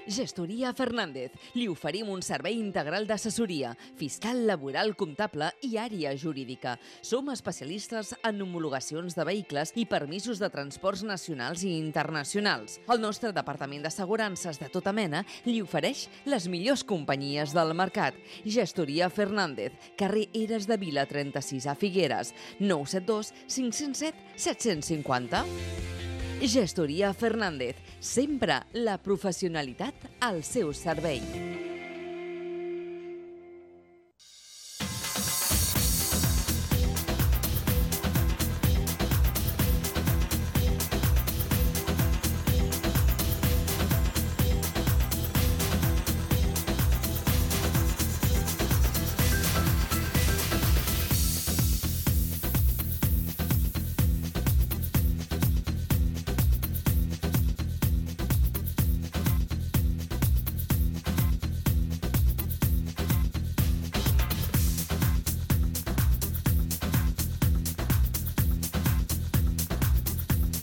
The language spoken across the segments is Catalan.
Gestoria Fernández. Li oferim un servei integral d'assessoria, fiscal, laboral, comptable i àrea jurídica. Som especialistes en homologacions de vehicles i permisos de transports nacionals i internacionals. El nostre departament d'assegurances de tota mena li ofereix les millors companyies del mercat. Gestoria Fernández, carrer Eres de Vila 36 a Figueres, 972 507 750. Gestoria Fernández, sempre la professionalitat al seu servei.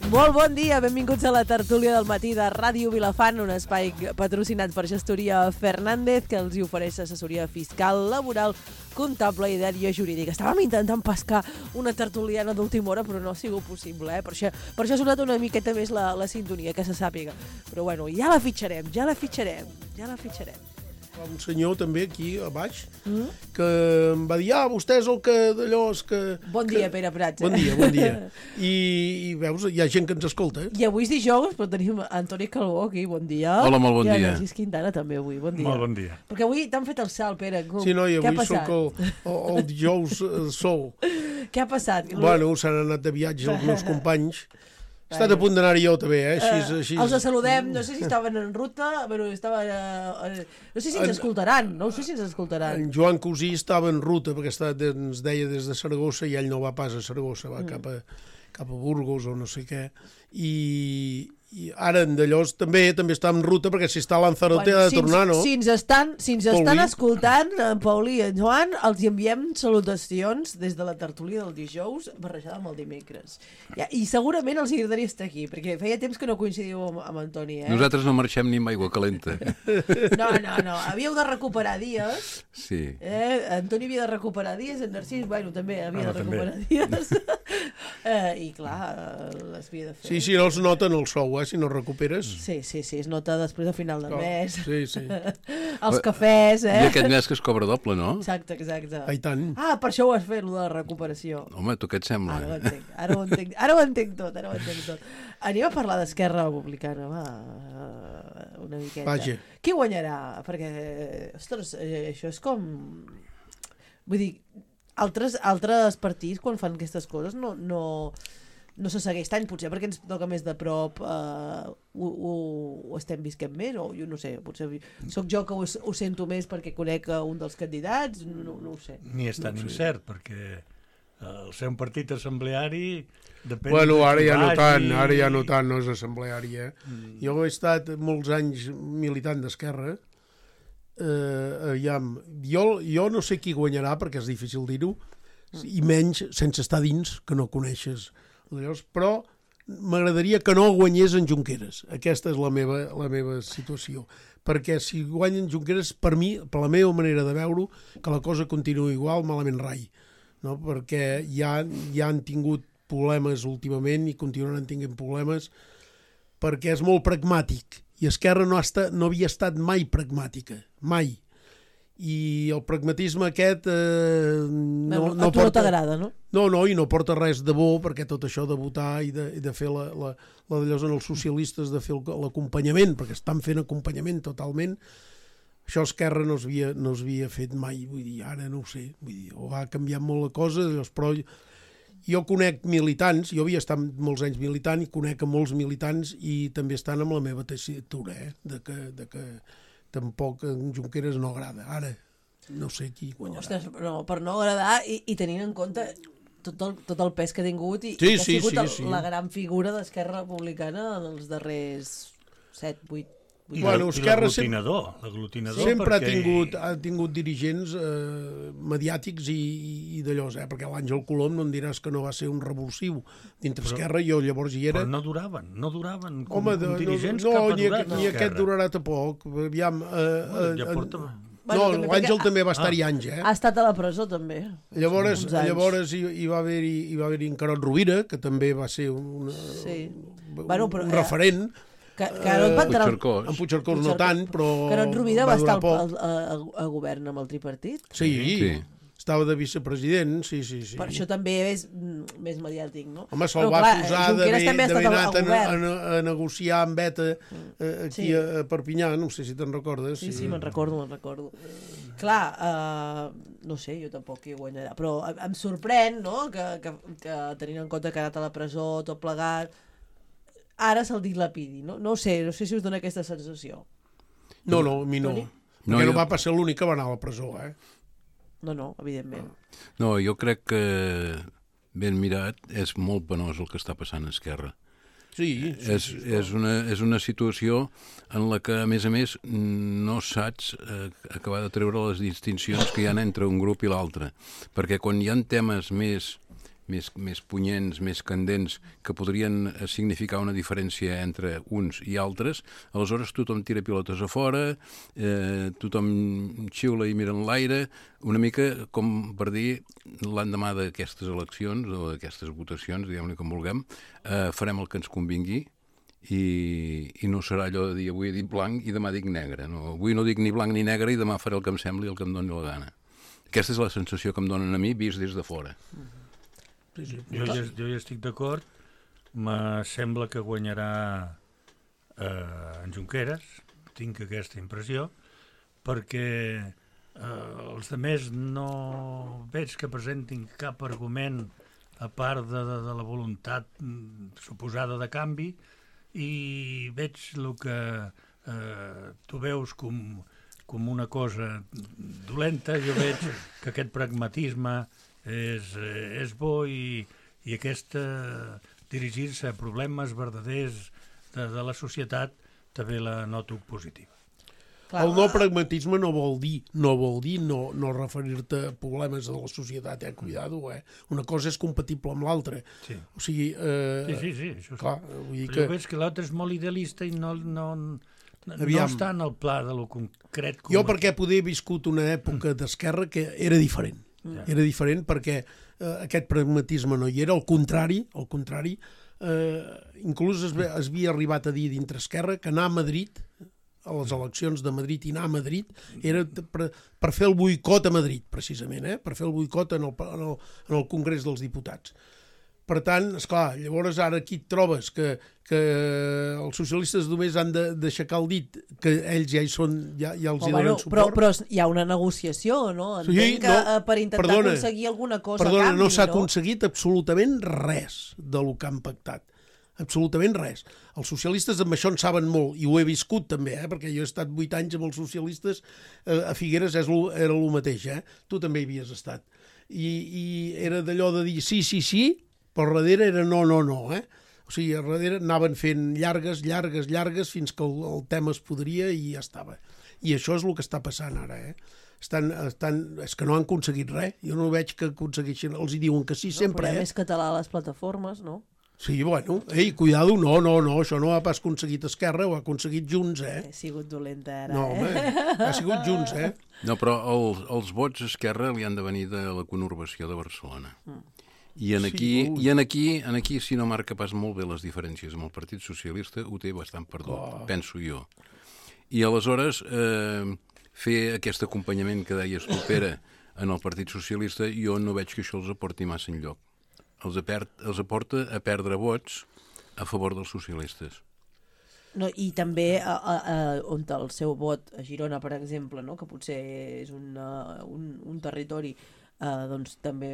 Molt bon dia, benvinguts a la tertúlia del matí de Ràdio Vilafant, un espai patrocinat per Gestoria Fernández, que els hi ofereix assessoria fiscal, laboral, comptable i d'àrea jurídica. Estàvem intentant pescar una tertuliana d'última hora, però no ha sigut possible, Per això ha sonat una miqueta més la sintonia, que se sàpiga. Però bueno, ja la fitxarem. Un senyor també aquí a baix que em va dir, vostè és el que d'allò és que... Bon dia, Pere Prats. Bon dia. I veus, hi ha gent que ens escolta. I avui és dijous, però tenim Antoni Calbó aquí, bon dia. Hola, molt bon dia. I Narcís Quintana també avui, bon dia. Molt bon dia. Perquè avui t'han fet el salt, Pere. Sí, noi, avui soc el dijous sol. Què ha passat? Bueno, s'han anat de viatge els meus companys. He estat a punt d'anar-hi jo també, Així... Els saludem, no sé si estaven en ruta, però estaven... no sé si ens escoltaran, En Joan Cosí estava en ruta, perquè ens deia des de Saragossa, i ell no va pas a Saragossa, va cap a Burgos o no sé què, i ara en Dallós també està en ruta, perquè si està a Lanzarote ha de tornar, no? Si ens estan escoltant, en Paulí i en Joan, els enviem salutacions des de la tertúlia del dijous, barrejada amb el dimecres. I segurament els agradaria estar aquí, perquè feia temps que no coincidiu amb Antoni, Nosaltres no marxem ni amb aigua calenta. No, havíeu de recuperar dies. Sí. Antoni havia de recuperar dies, en Narcís, també havia de recuperar dies. I clar, les havia de fer. Sí, no els noten el sou, si no recuperes. Sí, es nota després de final del mes. Sí. Els cafès, I aquest mes que es cobra doble, no? Exacte. I tant. Per això ho has fet, la recuperació. Home, tu què et sembla? Ara ho entenc tot. Anem a parlar d'Esquerra Republicana, una miqueta. Vaja. Qui guanyarà? Perquè, ostres, això és com... Vull dir, altres partits, quan fan aquestes coses, no se segueix tant, potser perquè ens toca més de prop, ho estem visquent més, o jo no sé, potser sóc jo que ho sento més perquè conec un dels candidats, no ho sé. Ni és tan incert, perquè el ser un partit assembleari depèn... Bueno, ara ja no tant, no és assembleari, Jo he estat molts anys militant d'Esquerra, jo no sé qui guanyarà, perquè és difícil dir-ho, i menys sense estar dins, que no coneixes... Però m'agradaria que no guanyés en Junqueras. Aquesta és la meva situació. Perquè si guanyen Junqueras, per mi, per la meva manera de veure-ho, que la cosa continua igual, malament rai. No? Perquè ja han tingut problemes últimament i continuaran tinguent problemes, perquè és molt pragmàtic. I Esquerra no havia estat mai pragmàtica. Mai. I el pragmatisme aquest a tu no t'agrada, no? No, i no porta res de bo, perquè tot això de votar i de fer d'allò en els socialistes, de fer l'acompanyament, perquè estan fent acompanyament totalment, això Esquerra no es havia fet mai, vull dir, ara no ho sé, vull dir, ha canviat molt la cosa, però jo conec militants, jo havia estat molts anys militant i conec a molts militants i també estan amb la meva tessitura, de que tampoc en Junqueras no agrada. Ara, no sé qui guanyarà. Ostres, no, per no agradar i tenint en compte tot el pes que ha tingut i que ha sigut la gran figura d'Esquerra Republicana en els darrers 7-8 I Bueno, Esquerra l'aglutinador sempre perquè... ha tingut dirigents mediàtics i d'allò, perquè l'Àngel Colom no em diràs que no va ser un revulsiu dintre Esquerra, jo llavors hi era. Però no duraven com Home, dirigents no, cap a durat. ni aquest durarà tampoc. Aviam, Ja porta... no, l'Àngel també va estar-hi anys, Ha estat a la presó, també. Llavors hi va haver-hi en Carot Rovira, que també va ser un referent. Que no et va entrar... En Puigcercós no tant, però... Carot Rovira va estar al govern amb el tripartit? Sí, estava de vicepresident, sí. Per això també és més mediàtic, no? Home, se'l va acusar d'haver anat a negociar amb ETA aquí a Perpinyà, no sé si te'n recordes. Sí, me'n recordo. Clar, no sé, jo tampoc hi guanyarà, però em sorprèn, no?, que tenint en compte que ha anat a la presó, tot plegat, ara se'l dilapidi, no? No sé si us dona aquesta sensació. No, a mi no. Perquè no va passar l'únic que va anar a la presó, No, evidentment. No, jo crec que, ben mirat, és molt penós el que està passant a Esquerra. Sí. És una situació en la que, a més, no saps acabar de treure les distincions que hi ha entre un grup i l'altre. Perquè quan hi ha temes més punyents, més candents, que podrien significar una diferència entre uns i altres, aleshores tothom tira pilotes a fora, tothom xiula i mira en l'aire, una mica com per dir, l'endemà d'aquestes eleccions o d'aquestes votacions, diguem-ne com vulguem, farem el que ens convingui i no serà allò de dir avui he dit blanc i demà dic negre. No? Avui no dic ni blanc ni negre i demà faré el que em sembli i el que em doni la gana. Aquesta és la sensació que em donen a mi vist des de fora. Jo ja estic d'acord. Me sembla que guanyarà en Junqueras, tinc aquesta impressió, perquè els altres no veig que presentin cap argument a part de la voluntat suposada de canvi, i veig el que tu veus com una cosa dolenta. Jo veig que aquest pragmatisme és bo i aquesta dirigir-se a problemes verdaders de la societat també la noto positiva. El no pragmatisme no vol dir no referir-te a problemes de la societat, cuidado, Una cosa és compatible amb l'altra. Sí. O sigui... Sí, això clar, vull dir que... Jo veig que l'altre és molt idealista i no està en el pla de lo concret. Jo perquè poder he viscut una època d'esquerra que era diferent. Era diferent perquè aquest pragmatisme no hi era, al contrari, inclús es havia arribat a dir dintre Esquerra que anar a Madrid, a les eleccions de Madrid i anar a Madrid, era per fer el boicot a Madrid, precisament, per fer el boicot en el Congrés dels Diputats. Per tant, esclar, llavors ara aquí et trobes que els socialistes només han d'aixecar el dit, que ells ja hi són, ja els hi donen suport. Però hi ha una negociació, no? Entenc que per intentar aconseguir alguna cosa a canvi, no s'ha aconseguit absolutament res del que han pactat. Absolutament res. Els socialistes amb això en saben molt, i ho he viscut també, perquè jo he estat 8 anys amb els socialistes, a Figueres era el mateix, tu també hi havies estat. I era d'allò de dir sí, però darrere era no. O sigui, a darrere anaven fent llargues, fins que el tema es podria i ja estava. I això és el que està passant ara, és que no han aconseguit res. Jo no veig que aconsegueixin, els hi diuen que sí sempre. El problema és català a les plataformes, no? Sí, bueno, cuidado, no, això no ha pas aconseguit Esquerra, ho ha aconseguit Junts, He sigut dolenta ara, No, home, ha sigut Junts, No, però els vots a Esquerra li han de venir de la conurbació de Barcelona. I aquí, si no marca pas molt bé les diferències amb el Partit Socialista, ho té bastant perdut, penso jo. I aleshores, fer aquest acompanyament que deies tu, Pere, en el Partit Socialista, jo no veig que això els aporti massa enlloc. Els aporta a perdre vots a favor dels socialistes. No, i també on el seu vot a Girona, per exemple, no? Que potser és un territori doncs també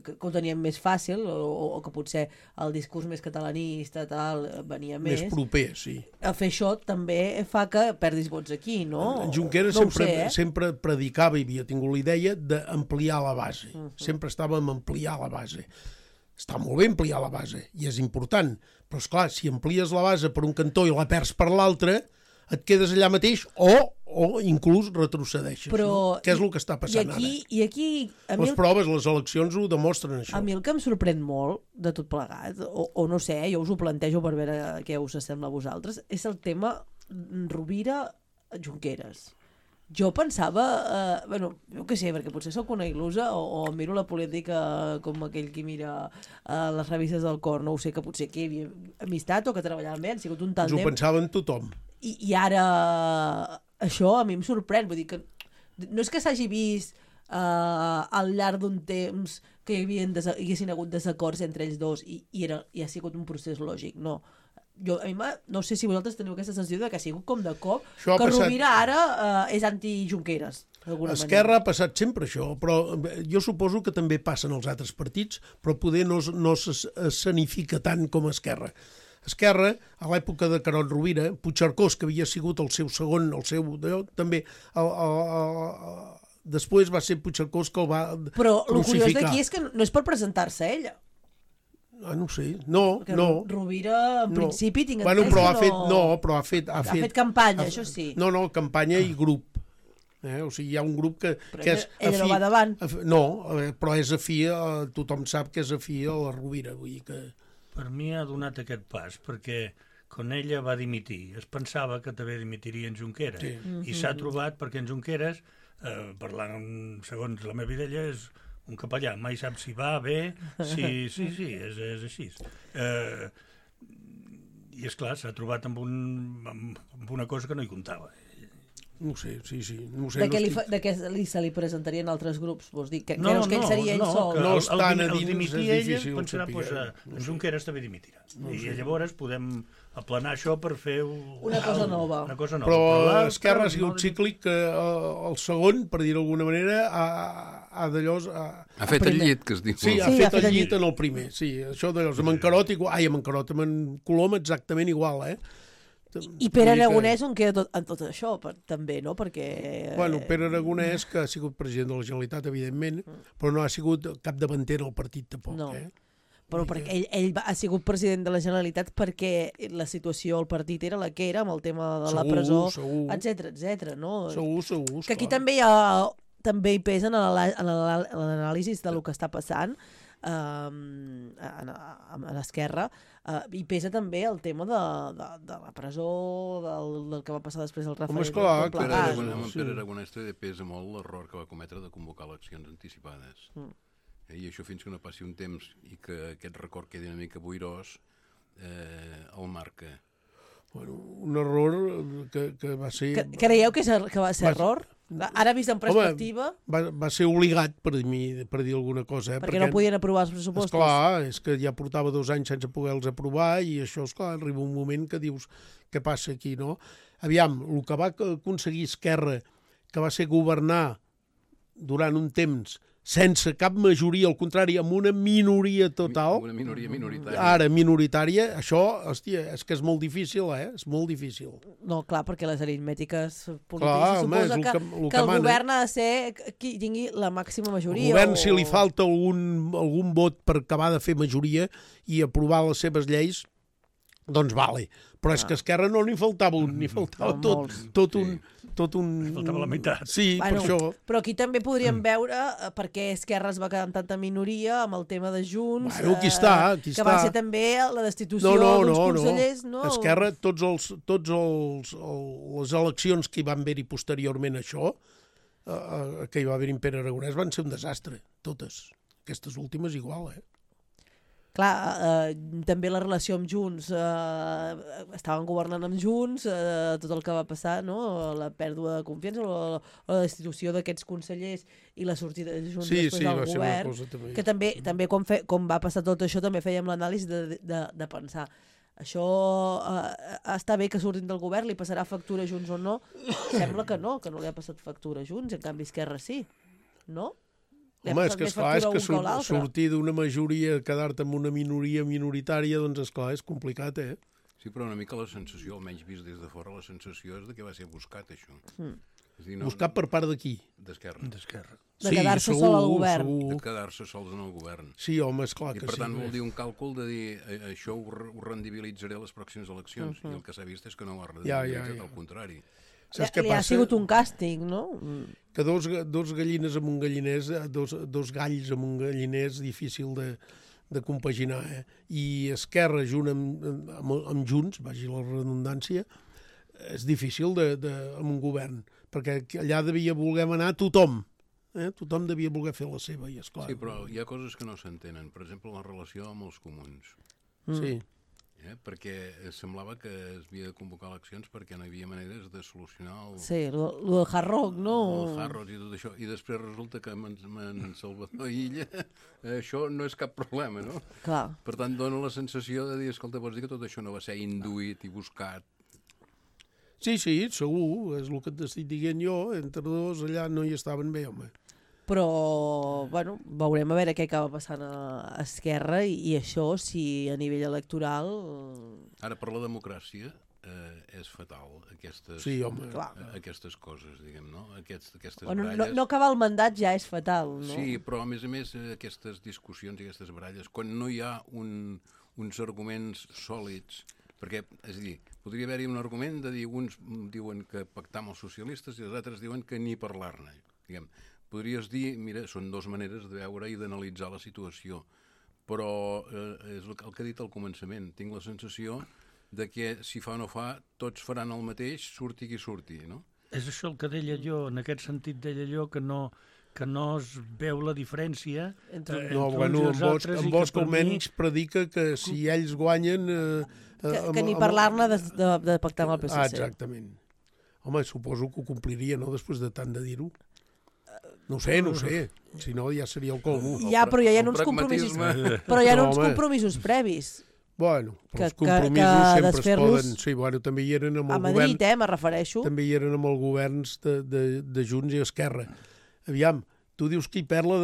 que ho teníem més fàcil o que potser el discurs més catalanista venia més proper, sí. A fer això també fa que perdis vots aquí, no? En Junqueras sempre predicava i havia tingut la idea d'ampliar la base. Sempre estàvem a ampliar la base. Està molt bé ampliar la base i és important, però esclar, si amplies la base per un cantó i la perds per l'altre, et quedes allà mateix o inclús retrocedeixes, no? Què és el que està passant ara? I aquí Les proves, les eleccions ho demostren, això. a mi el que em sorprèn molt de tot plegat, o no sé, jo us ho plantejo per veure què us sembla a vosaltres, és el tema Rovira-Junqueras. Jo pensava, jo què sé, perquè potser sóc una il·lusa o miro la política com aquell qui mira les revistes del cor, no ho sé, que potser que hi havia amistat o que treballaven bé, han sigut un tàndem. Ho pensaven tothom. I ara això a mi em sorprèn, vull dir que no és que s'hagi vist al llarg d'un temps que hi haguessin hagut desacords entre ells dos i ha sigut un procés lògic, no. No sé si vosaltres teniu aquesta sensació de que ha sigut com de cop això que Rovira ara és anti-Junqueras. Esquerra ha passat sempre això, però jo suposo que també passen els altres partits, però poder no s'escenifica tant com Esquerra. Esquerra, a l'època de Carod Rovira, Puigcercós, que havia sigut el seu segon, també després va ser Puigcercós que el va crucificar. Però el curiós d'aquí és que no és per presentar-se ella. No sé, no. Rovira, en principi, tinc entès que no... Però ha fet campanya, això sí. No, campanya i grup. O sigui, hi ha un grup que és afí... Ella no va davant. No, però és afí, tothom sap que és afí a la Rovira, vull dir que... Per mi ha donat aquest pas, perquè quan ella va dimitir, es pensava que també dimitiria en Junqueras. Sí. I s'ha trobat perquè en Junqueras, parlant segons la meva idea, és un capellà, mai sap si va bé, sí, és així. I és clar, s'ha trobat amb una cosa que no hi comptava. No sé, sí. No sé, de què se li presentarien altres grups? Vols dir que creus que ell seria ell sol? No estan a dins, és difícil pensarà, en Junqueras també dimitirà. I llavors podem aplanar això per fer una cosa nova. Però Esquerra ha sigut cíclic, que el segon, per dir-ho d'alguna manera, ha fet el llit, que es diu. Sí, ha fet el llit en el primer. Sí, això d'allò, amb en Carot igual, amb en Colom exactament igual, I Pere Aragonès on queda en tot això, també, no? Perquè... Bueno, Pere Aragonès, que ha sigut president de la Generalitat, evidentment, però no ha sigut capdavanter al partit, tampoc. No. Però perquè ell ha sigut president de la Generalitat perquè la situació al partit era la que era, amb el tema de la presó, etc. No? Segur. Que aquí també hi pesa en l'anàlisi del que està passant a l'Esquerra, i pesa també el tema de la presó, del que va passar després del Rafael. Pere Aragonès també pesa molt l'error que va cometre de convocar eleccions anticipades. I això fins que no passi un temps i que aquest record quedi una mica boirós, el marca. Bueno, un error que va ser... Creieu que va ser error? Ara vist en perspectiva... Va ser obligat, per dir alguna cosa. Perquè no podien aprovar els pressupostos. Esclar, és que ja portava 2 anys sense poder-los aprovar i això, esclar, arriba un moment que dius què passa aquí, no? Aviam, el que va aconseguir Esquerra, que va ser governar durant un temps sense cap majoria, al contrari, amb una minoria total. Una minoria minoritària. Ara, minoritària, això, hòstia, és que és molt difícil, És molt difícil. No, clar, perquè les aritmètiques polítiques suposa que el govern ha de ser qui tingui la màxima majoria. El govern, si li falta algun vot per acabar de fer majoria i aprovar les seves lleis, doncs vale. Però és que a Esquerra no n'hi faltava un, n'hi faltava tot un... Faltava la meitat. Sí, per això. Però aquí també podríem veure per què Esquerra es va quedar amb tanta minoria amb el tema de Junts, aquí està. Que va ser també la destitució d'uns consellers. No. Esquerra, tots les eleccions que hi van haver-hi posteriorment a això, que hi va haver-hi en Pere Aragonès, van ser un desastre, totes. Aquestes últimes igual, Clar, també la relació amb Junts, estaven governant amb Junts, tot el que va passar, no? La pèrdua de confiança o la destitució d'aquests consellers i la sortida de Junts després del govern, que també com va passar tot això també fèiem l'anàlisi de pensar això està bé que surtin del govern, li passarà factura a Junts o no? Sembla que no li ha passat factura a Junts, en canvi Esquerra sí, no? Home, és que esclar, és que sortir d'una majoria, quedar-te amb una minoria minoritària, doncs esclar, és complicat, Sí, però una mica la sensació, almenys vist des de fora, la sensació és de que va ser buscat, això. És dir, buscat per part d'aquí. D'Esquerra. De quedar-se sol al govern. De quedar-se sols en el govern. Sí, home, esclar I que per sí. tant vol dir un càlcul de dir això ho rendibilitzaré a les pròximes eleccions, i el que s'ha vist és que no ho ha rendibilitzat, al contrari. Saps què Li ha passa? sigut un càstig, no? Que dos gallines amb un galliners, dos galls amb un galliner és difícil de compaginar, I Esquerra junt amb Junts, vagi la redundància, és difícil amb un govern, perquè allà devia voler anar tothom. Tothom devia voler fer la seva, i esclar. Sí, però hi ha coses que no s'entenen. Per exemple, la relació amb els comuns. Sí. Perquè semblava que es havia de convocar eleccions perquè no hi havia maneres de solucionar Sí, lo del Hard Rock, no? El Hard Rock i tot això. I després resulta que amb en Salvador Illa això no és cap problema, no? Clar. Per tant, dona la sensació de dir, escolta, pots dir que tot això no va ser induït i buscat. Sí, segur, és el que t'estic dient jo, entre dos allà no hi estaven bé, home. Però, bueno, veurem a veure què acaba passant a Esquerra i això, si a nivell electoral... Ara, per la democràcia, és fatal, aquestes coses, diguem, no? Aquestes baralles... No acabar el mandat ja és fatal, no? Sí, però a més, aquestes discussions i aquestes baralles, quan no hi ha uns arguments sòlids, perquè, és a dir, podria haver-hi un argument de dir, uns diuen que pactar amb els socialistes i els altres diuen que ni parlar-ne, diguem. Podries dir, mira, són dues maneres de veure i d'analitzar la situació, però és el que he dit al començament. Tinc la sensació de que si fa o no fa, tots faran el mateix, surti qui surti, no? És això el que deia jo, en aquest sentit deia jo que no es veu la diferència entre uns i els altres. En Bosch almenys predica que si ells guanyen... Que ni parlar-ne de pactar amb el PSC. Exactament. Home, suposo que ho compliria, no?, després de tant de dir-ho. No sé. Si no, ja seria el colmo. Ja, però ja hi ha uns compromisos. Però hi ha uns compromisos previs. Bueno, però els compromisos sempre es poden... Sí, bueno, també hi eren amb el govern... A Madrid, me refereixo. També hi eren amb els governs de Junts i Esquerra. Aviam, tu dius que hi perd la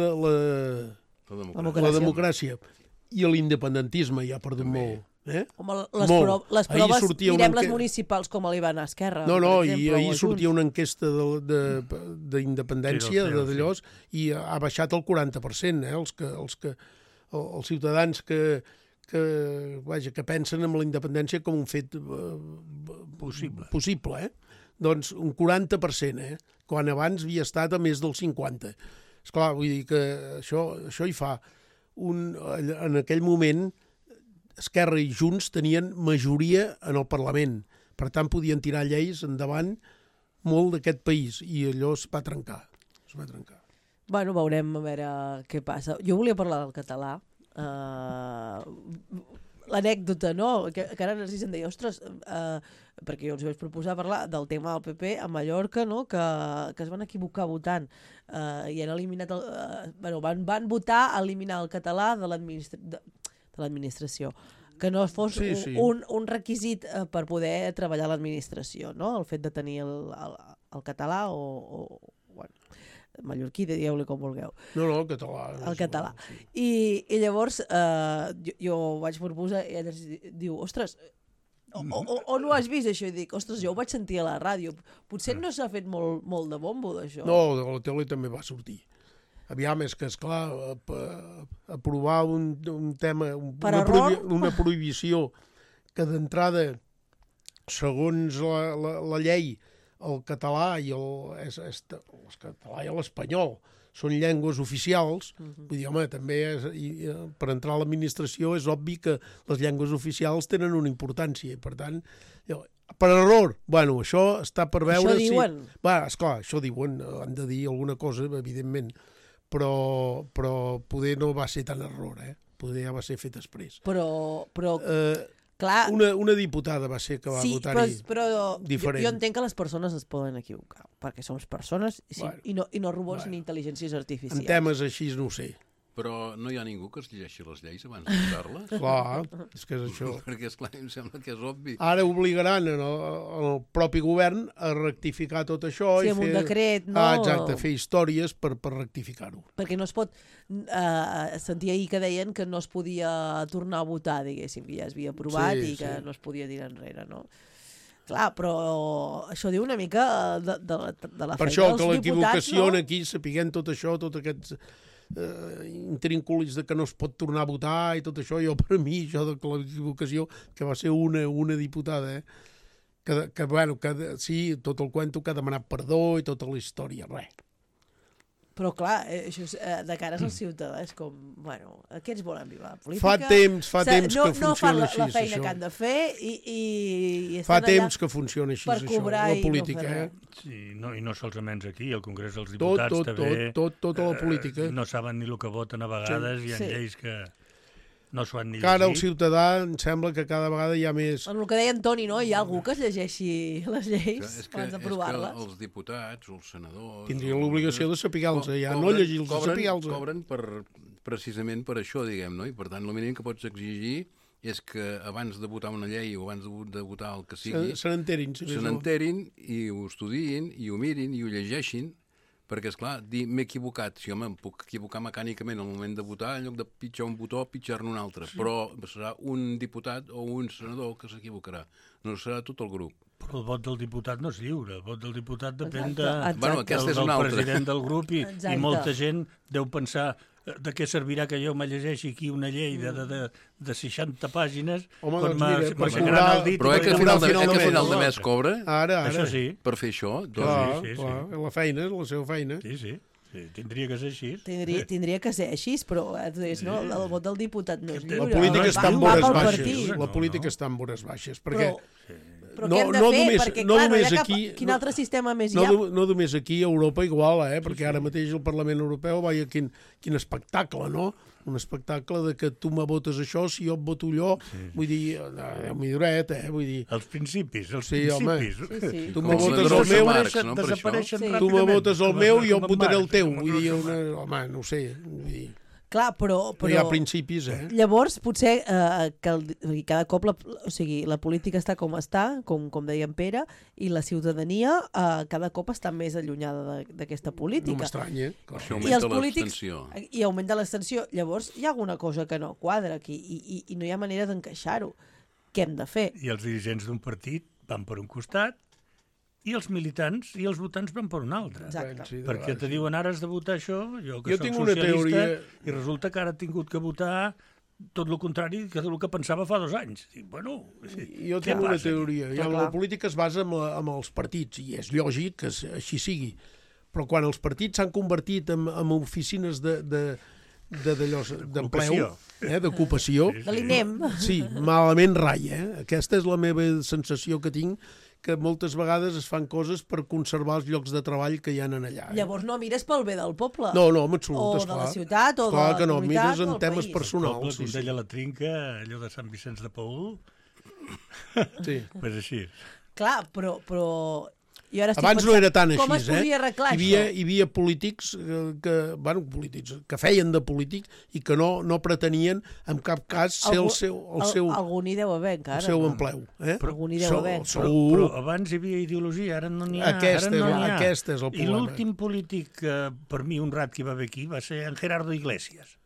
democràcia. I l'independentisme ja ha perdut molt. Home, les proves, mirem les municipals com li van a Esquerra. No, i ahir sortia una enquesta d'independència d'allòs i ha baixat el 40%, els ciutadans que pensen en la independència com un fet possible. Doncs un 40%, quan abans havia estat a més del 50%. Esclar, vull dir que això hi fa. En aquell moment Esquerra i Junts tenien majoria en el Parlament. Per tant, podien tirar lleis endavant molt d'aquest país i allò es va trencar. Bueno, veurem a veure què passa. Jo volia parlar del català. L'anècdota, no? Que ara ens em deia, ostres, perquè jo els vaig proposar parlar del tema del PP a Mallorca, no? Que es van equivocar votant i han eliminat van votar eliminar el català de l'administració, que no fos un requisit per poder treballar a l'administració, no? El fet de tenir el català o mallorquí, dieu-li com vulgueu. No, el català. El català. I llavors jo vaig proposar i ell diu, ostres, o no has vist això? I dic, ostres, jo ho vaig sentir a la ràdio. Potser no s'ha fet molt de bombo d'això. No, de la tele també va sortir. Aviam, és que, esclar, aprovar un tema, una prohibició que d'entrada, segons la llei, el català i el català i l'espanyol són llengües oficials, vull dir, home, també per entrar a l'administració és obvi que les llengües oficials tenen una importància, i per tant, per error, bueno, això està per veure... Això diuen? Esclar, això diuen, han de dir alguna cosa, evidentment, però poder no va ser tan error, poder ja va ser fet després. Però clar... Una diputada va ser que va votar-hi diferent. Jo entenc que les persones es poden equivocar, perquè som persones i no robots ni intel·ligències artificials. En temes així no ho sé. Però no hi ha ningú que es llegeixi les lleis abans de votar-les? Clar, és que és això. Perquè, esclar, em sembla que és obvi. Ara obligaran el propi govern a rectificar tot això. Sí, amb un decret, no? Exacte, fer històries per rectificar-ho. Perquè no es pot... sentia ahir que deien que no es podia tornar a votar, diguéssim, que ja es havia aprovat i que no es podia tirar enrere, no? Clar, però això diu una mica de la Per feina això, dels que l'equivocació diputats, no? aquí, sapiguent tot això, tots aquests intrínculis de que no es pot tornar a votar i tot això, jo per mi, això de l'equivocació, que va ser una diputada, sí, tot el cuento que ha demanat perdó i tota la història, res. Però clar, això és, de cares al ciutadà és com, bueno, aquests volen viure la política. Fa temps que no fan funciona la així, feina això. que han de fer i Fa estan temps allà que funciona així, per això, cobrar la i no política, fer res. Sí, no, i no solament aquí, al Congrés dels Diputats també... Tota la política. No saben ni el que voten a vegades, hi ha Sí. lleis que no s'ho han ni Que ara el llegit. ciutadà em sembla que cada vegada hi ha més... En el que deia Antoni, no? Hi ha algú que es llegeixi les lleis abans d'aprovar-les. Els diputats o els senadors... Tindrien l'obligació de saber-los, ja no llegir-los, de saber-los. Cobren precisament per això, diguem, no? I per tant, el mínim que pots exigir és que abans de votar una llei o abans de votar el que sigui, Se n'enterin. se n'enterin i ho estudiïn i ho mirin i ho llegeixin, perquè, esclar, dir m'he equivocat, si home, em puc equivocar mecànicament al moment de votar, en lloc de pitjar un botó, pitjar-ne un altre, però serà un diputat o un senador que s'equivocarà, no serà tot el grup. Però el vot del diputat no és lliure, el vot del diputat depèn Exacte. Bueno, aquesta és del una altra. president del grup i Exacte. molta gent deu pensar de què servirà que jo me llegeixi aquí una llei de 60 pàgines Home, quan doncs mira, per m'aixecaran cobrar- el dit... Però i que a m'aixecaran final el de dit. mes cobra Ara. Això sí, per fer això. Clar, sí. la feina, la seva feina. sí, tindria que ser així. Tindria que ser així, però no? El vot del diputat no és lliure. La política no, està en Va vores pel baixes. partit. La política està en vores baixes, perquè Però què hem de fer? Perquè, clar, no hi ha cap... Quin altre sistema més hi ha? no només aquí, a Europa igual, perquè ara mateix el Parlament Europeu, veia quin espectacle, no? Un espectacle de que tu me votes això, si jo et voto allò, vull dir, milloret, vull dir... Els principis, Sí, home. principis. Sí. Tu me Com votes la el meu, Marx, no, per desapareixen això? Sí. tu me ràpidament. votes el meu i jo Com et votaré el Marx, teu. com Vull dir, Marx. home, no ho sé, vull dir... Clar, però Hi ha principis, llavors, potser que cada cop la política està com està, com deia en Pere, i la ciutadania cada cop està més allunyada d'aquesta No política. m'estranya, clar. Això I els augmenta polítics... l'abstenció. I augmenta l'extensió. Llavors, hi ha alguna cosa que no quadra aquí i no hi ha manera d'encaixar-ho. Què hem de fer? I els dirigents d'un partit van per un costat i els militants i els votants van per un altre. Exacte. Sí, de Perquè vegades, te diuen ara has de votar això, jo que Jo soc tinc una socialista, teoria- i resulta que ara he tingut que votar tot el contrari que del que pensava fa 2 anys. I, bueno, Jo què tinc una passa? teoria. Clar, La clar. política es basa en els partits, i és lògic que així sigui. Però quan els partits s'han convertit en oficines d'empleo, d'ocupació, De l'INEM. sí, malament rai. Aquesta és la meva sensació que tinc, que moltes vegades es fan coses per conservar els llocs de treball que hi ha allà. Llavors no mires pel bé del poble. No, en absolut, O de esclar. la ciutat, o de Esclar la que no, comunitat, mires o en del temes país. personals. Poble, Sí, com sí. deia la Trinca, allò de Sant Vicenç de Paül, Sí. pues així. Clar, però jo ara estic Abans no pensant, era tan així, com es podria arreglar Hi això? havia polítics que feien de polítics i que no pretenien en cap cas ser el seu Algú n'hi deu haver encara. seu no? empleu. Algú n'hi deu haver. Però abans hi havia ideologia, ara no n'hi ha. Aquest ara és el I problema. l'últim polític, per mi, honrat que hi va haver aquí, va ser en Gerardo Iglesias.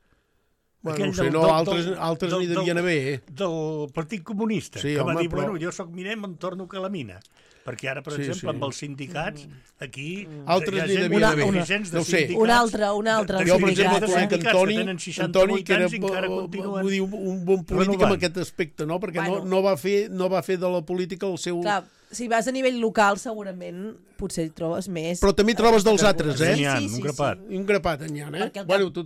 Bueno, no Aquell sé, del- no, del- altres del- n'hi devien haver, Del Partit Comunista, Sí, que va home, dir, però- bueno, jo sóc miner, me'n torno que la mina. Perquè ara, per Sí, exemple, sí. amb els sindicats, aquí... Altres hi ha n'hi gent, devien haver. dirigents de No ho sé. sindicats, Un altre Jo, per exemple, sindicat, conec sindicats Antoni, que tenen 68 Antoni, que era anys i encara continuen vull dir, un bon polític renovant. en aquest aspecte, no? Perquè Bueno. no va fer de la política el seu... Clar, si vas a nivell local, segurament potser hi trobes més. Però també trobes dels altres, N'hi ha, un grapat. Un grapat en hi ha, Perquè al Bueno, tu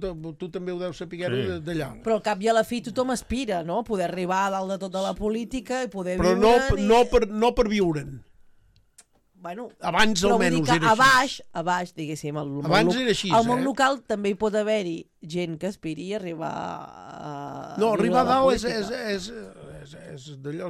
també ho deus saber Sí. d'allà. Però al cap i a la fi tothom aspira, no? Poder arribar a dalt de tota la política i poder Però viure... no per viure'n. Bueno, Abans però vull almenys dir que era així. a baix, diguéssim, al món, Abans era així, al món eh? local també hi pot haver-hi gent que aspiri a arribar a... No, viure arribar a la dalt política. és d'allò...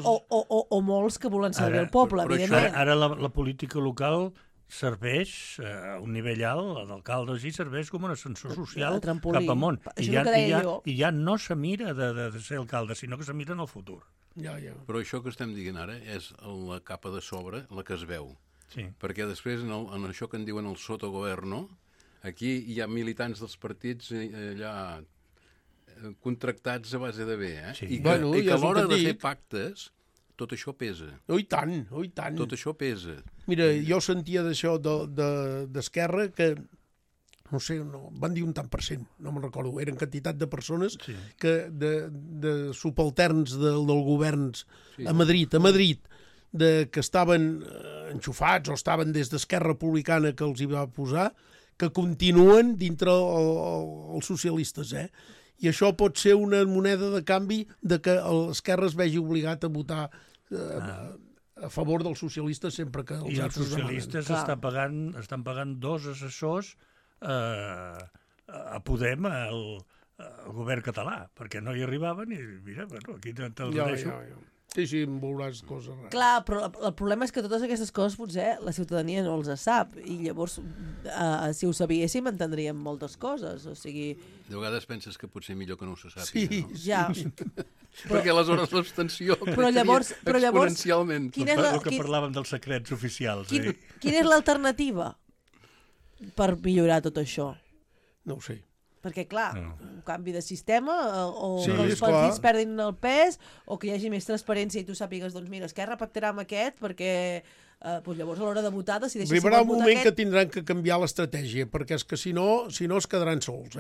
O molts que volen servir el poble, però això evidentment. Ara la política local serveix a un nivell alt, l'alcalde així serveix com un ascensor social El trampolí. cap amunt. Això és el que deia jo. I ja no se mira de ser alcalde, sinó que se mira en el futur. Ja. Però això que estem dient ara és la capa de sobre, la que es veu. Sí. Perquè després, en això que en diuen el sotogoverno, aquí hi ha militants dels partits allà contractats a base de bé, Sí. I que, Bueno, i que ja a és el l'hora que de et fer dic. pactes tot això pesa. Oh, i tant, oh, i tant. Tot això pesa. Mira, jo sentia d'això d'Esquerra que, no sé, van dir un tant per cent, no me'n recordo, eren quantitat de persones que de subalterns del governs a Madrid, que estaven enxufats o estaven des d'Esquerra Republicana que els hi va posar, que continuen dintre els socialistes, I això pot ser una moneda de canvi de que l'Esquerra es vegi obligat a votar a favor dels socialistes sempre que els altres demanen. I els socialistes estan pagant 2 assessors a Podem, al govern català, perquè no hi arribaven i mira, aquí te'ls deixo. Sí, em veuràs coses rares. Clar, però el problema és que totes aquestes coses potser la ciutadania no els sap i llavors si ho sabíéssim entendríem moltes coses, o sigui... De vegades penses que potser millor que no se sàpiga, no? Ja. Perquè aleshores l'abstenció exponencialment. El que parlàvem dels secrets oficials. Quina és l'alternativa per millorar tot això? No ho sé. Perquè, clar, un canvi de sistema o que els partits perdin el pes o que hi hagi més transparència i tu sàpigues, doncs mira, Esquerra pactarà amb aquest perquè llavors a l'hora de votar decideixi... Arribarà un moment que tindran que canviar l'estratègia, perquè és que si no es quedaran sols,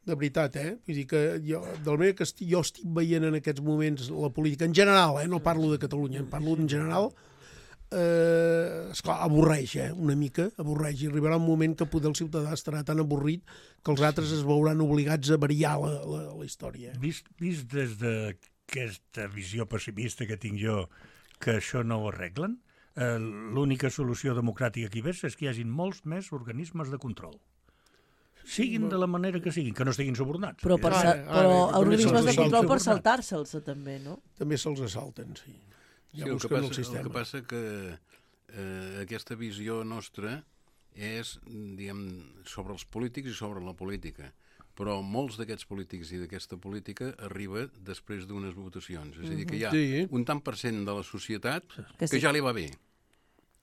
De veritat, Vull dir que jo estic veient en aquests moments la política en general, no parlo de Catalunya, parlo en general... esclar, avorreix, una mica, avorreix, i arribarà un moment que poder el ciutadà estarà tan avorrit que els altres es veuran obligats a variar la història. Vist des d'aquesta visió pessimista que tinc jo, que això no ho arreglen, l'única solució democràtica que hi veig és que hi hagin molts més organismes de control. Siguin de la manera que siguin, que no estiguin subornats. Però organismes de control per saltar-se'ls també, no? També se'ls assalten, sí. El que passa que aquesta visió nostra és, diguem, sobre els polítics i sobre la política, però molts d'aquests polítics i d'aquesta política arriba després d'unes votacions. És a dir, que hi ha un tant per cent de la societat que ja li va bé,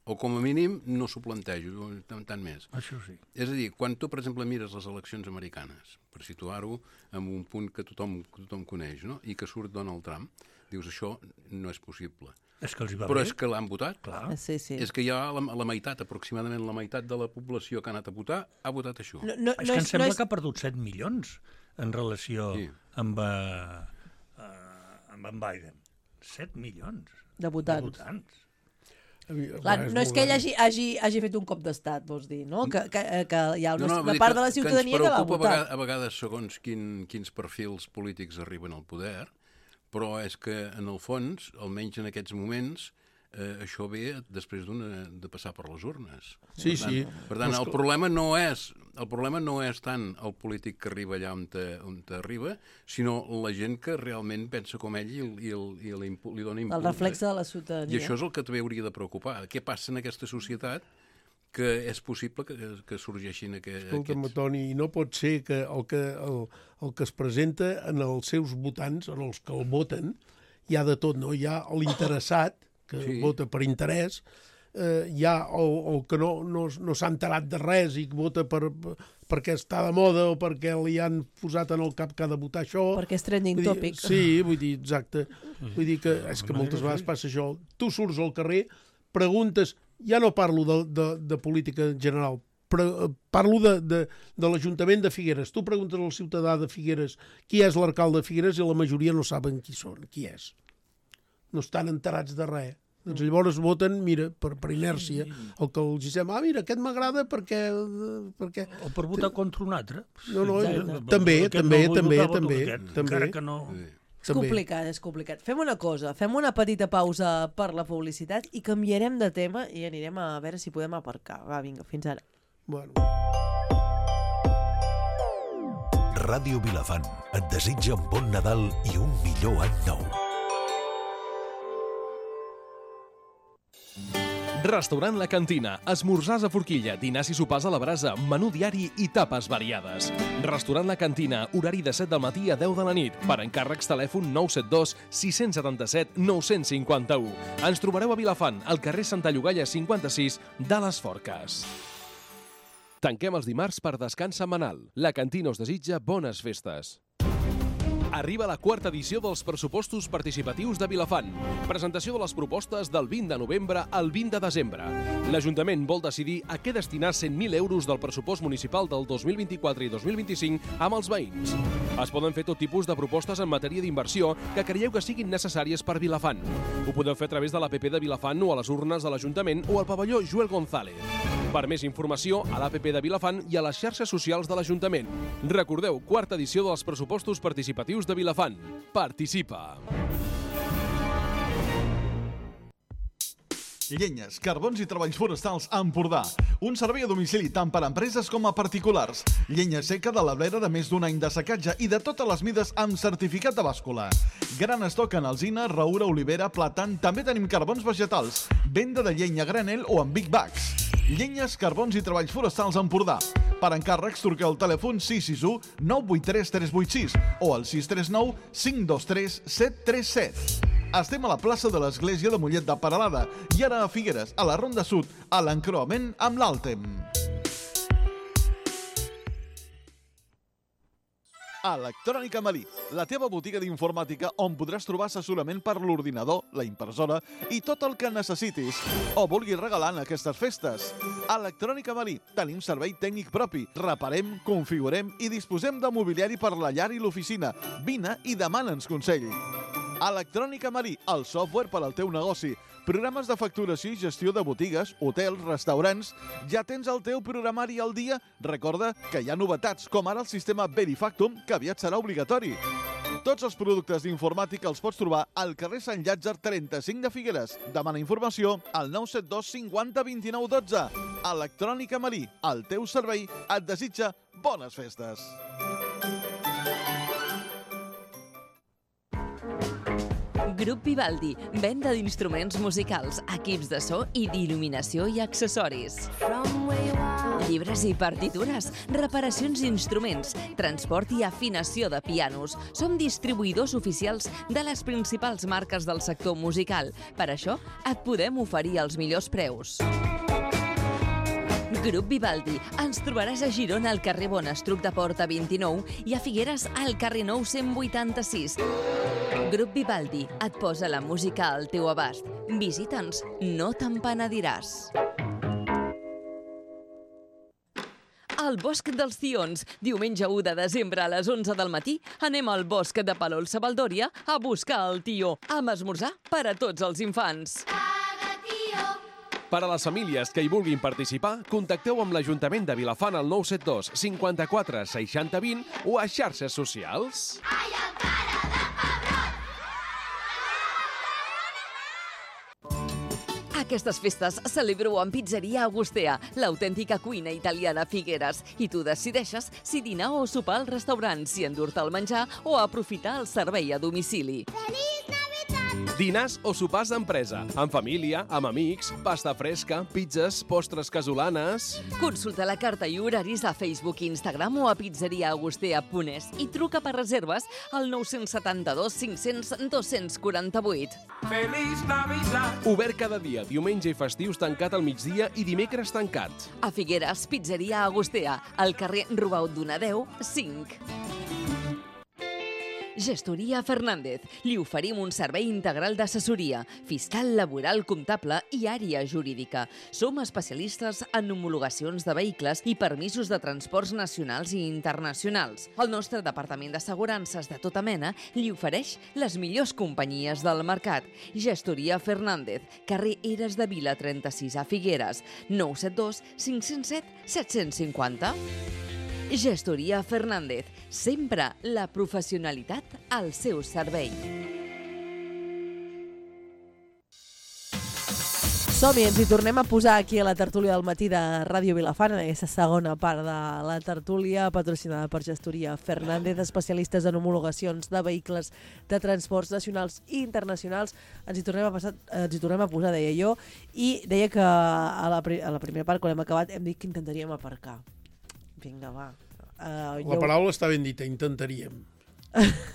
o com a mínim no s'ho plantejo, tant més. Això sí. És a dir, quan tu, per exemple, mires les eleccions americanes, per situar-ho en un punt que tothom coneix, no? I que surt Donald Trump, dius, això no és possible. És que els hi va Però bé. és que l'han votat. Clar. Sí. És que hi ha la meitat, aproximadament la meitat de la població que ha anat a votar ha votat això. És que em sembla que ha perdut 7 milions en relació amb en Biden. 7 milions de votants. Clar, no és que ell hagi fet un cop d'estat, vols dir, no? Que hi ha una part de la ciutadania que l'ha votat. Ens preocupa a vegades segons quins perfils polítics arriben al poder, però és que, en el fons, almenys en aquests moments, això ve després de passar per les urnes. Sí. Per tant, el problema no és tant el polític que arriba allà on arriba, sinó la gent que realment pensa com ell i li dona impuls. El reflex de la ciutadania. I això és el que també hauria de preocupar. Què passa en aquesta societat que és possible que sorgeixin aquests... Escolta'm, Toni, no pot ser que el que es presenta en els seus votants, en els que el voten, hi ha de tot, no? Hi ha l'interessat, que vota per interès, hi ha el que no s'ha enterat de res i vota perquè està de moda o perquè li han posat en el cap que ha de votar això. Perquè és trending topic. Sí, vull dir, exacte. Vull dir que és que moltes vegades passa això. Tu surts al carrer, preguntes... Ja no parlo de política en general, però parlo de l'Ajuntament de Figueres. Tu preguntes al ciutadà de Figueres qui és l'alcalde de Figueres i la majoria no saben qui és. No estan enterats de res. Doncs llavors voten, mira, per inèrcia, el que els diem, mira, aquest m'agrada perquè... O per votar contra un altre. No, també. Encara que no... És complicat. Fem una cosa, fem una petita pausa per la publicitat i canviarem de tema i anirem a veure si podem aparcar. Va, vinga, fins ara. Bueno. Ràdio Vilafant et desitja un bon Nadal i un millor any nou. Restaurant La Cantina, esmorzars a forquilla, dinars i sopars a la brasa, menú diari i tapes variades. Restaurant La Cantina, horari de 7 del matí a 10 de la nit. Per encàrrecs, telèfon 972 677 951. Ens trobareu a Vilafant, al carrer Santa Llogaia 56 de les Forques. Tanquem els dimarts per descans setmanal. La Cantina us desitja bones festes. Arriba la quarta edició dels pressupostos participatius de Vilafant. Presentació de les propostes del 20 de novembre al 20 de desembre. L'Ajuntament vol decidir a què destinar 100.000 euros del pressupost municipal del 2024 i 2025 amb els veïns. Es poden fer tot tipus de propostes en matèria d'inversió que creieu que siguin necessàries per Vilafant. Ho podeu fer a través de l'APP de Vilafant o a les urnes de l'Ajuntament o al pavelló Joel González. Per més informació, a l'APP de Vilafant i a les xarxes socials de l'Ajuntament. Recordeu, quarta edició dels pressupostos participatius de Vilafant. Participa! Llenyes, carbons i treballs forestals a Empordà. Un servei a domicili tant per a empreses com a particulars. Llenya seca de la blera de més d'un any de secatge i de totes les mides amb certificat de bàscula. Gran estoc en alzina, raura, olivera, plàtan. També tenim carbons vegetals. Venda de llenya a granel o en big bags. Llenyes, carbons i treballs forestals a Empordà. Per encàrrecs, truqueu al telèfon 661 983 386 o al 639 523 737. Estem a la plaça de l'Església de Mollet de Peralada i ara a Figueres, a la Ronda Sud, a l'encreuament amb l'Àltem. Electrònica Marí, la teva botiga d'informàtica on podràs trobar assessorament per l'ordinador, la impressora i tot el que necessitis o vulguis regalar en aquestes festes. Electrònica Marí, tenim servei tècnic propi, reparem, configurem i disposem de mobiliari per la llar i l'oficina. Vine i demana'ns consell. Electrònica Marí, el software per al teu negoci. Programes de facturació i gestió de botigues, hotels, restaurants. Ja tens el teu programari al dia? Recorda que hi ha novetats, com ara el sistema Verifactum, que aviat serà obligatori. Tots els productes d'informàtica els pots trobar al carrer Sant Llàtzer 35 de Figueres. Demana informació al 972 50 29 12. Electrònica Marí, el teu servei, et desitja bones festes. Grup Vivaldi, venda d'instruments musicals, equips de so i d'il·luminació i accessoris. Llibres i partitures, reparacions d'instruments, transport i afinació de pianos. Som distribuïdors oficials de les principals marques del sector musical. Per això, et podem oferir els millors preus. Grup Vivaldi. Ens trobaràs a Girona al carrer Bonestruc de Porta 29 i a Figueres al carrer Nou 186. Grup Vivaldi et posa la música al teu abast. Visita'ns, no te'n penediràs. Al Bosc dels Tions. Diumenge 1 de desembre a les 11 del matí anem al Bosc de Palol-Savaldòria a buscar el tió, amb esmorzar per a tots els infants. Per a les famílies que hi vulguin participar, contacteu amb l'Ajuntament de Vilafant al 972 54 60 20 o a xarxes socials. Aquestes festes celebro amb Pizzeria Agustea, l'autèntica cuina italiana a Figueres. I tu decideixes si dinar o sopar al restaurant, si endur-te el menjar o aprofitar el servei a domicili. Dinars o sopars d'empresa, amb família, amb amics, pasta fresca, pizzas, postres casolanes... Consulta la carta i horaris a Facebook, Instagram o a pizzeriaagustea.es i truca per reserves al 972 500 248. Feliç Navidad! Obert cada dia, diumenge i festius tancat al migdia i dimecres tancat. A Figueres, Pizzeria Agustea, al carrer Rubaut Donadeu, 5. Gestoria Fernández. Li oferim un servei integral d'assessoria, fiscal, laboral, comptable i àrea jurídica. Som especialistes en homologacions de vehicles i permisos de transports nacionals i internacionals. El nostre departament d'assegurances de tota mena li ofereix les millors companyies del mercat. Gestoria Fernández, carrer Eres de Vila 36 a Figueres, 972 507 750. Gestoria Fernández, sempre la professionalitat al seu servei. Som-hi, ens hi tornem a posar aquí a la tertúlia del matí de Ràdio Vilafant, en aquesta segona part de la tertúlia, patrocinada per Gestoria Fernández, especialistes en homologacions de vehicles de transports nacionals i internacionals. Ens hi tornem a posar, deia jo, i deia que a la primera part, quan hem acabat, hem dit que intentaríem aparcar. Vinga, va. La paraula està ben dita, intentaríem.